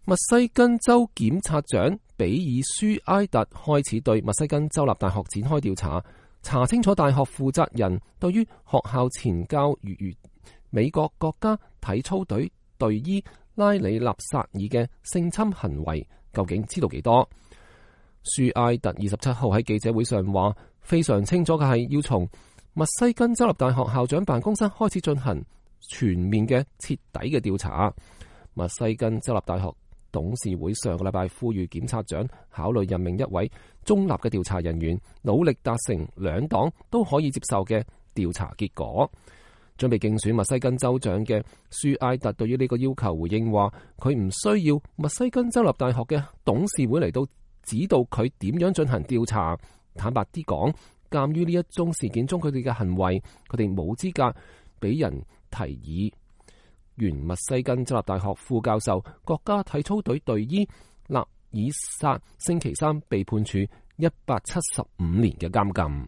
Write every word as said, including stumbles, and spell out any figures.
密西根州檢察長比爾舒埃特開始對密西根州立大學展開調查，查清楚大學負責人對於學校前教諭美國國家體操隊隊醫拉里納薩爾嘅性侵行為究竟知道幾多。舒埃特二十七號喺記者會上話，非常清楚嘅係要從密西根州立大學校長辦公室開始進行全面嘅徹底嘅調查。密西根州立大學董事會上個禮拜呼籲檢察長考慮任命一位中立嘅調查人員，努力達成兩黨都可以接受嘅調查結果。準備競選密西根州長嘅舒埃特對於呢個要求回應話，佢唔需要密西根州立大學嘅董事會嚟到指導佢點樣進行調查。坦白啲講，鑒於呢一宗事件中佢哋嘅行為，佢哋冇資格俾人提議。原密西根州立大學副教授、國家體操隊隊醫納爾薩星期三被判處一百七十五年嘅監禁。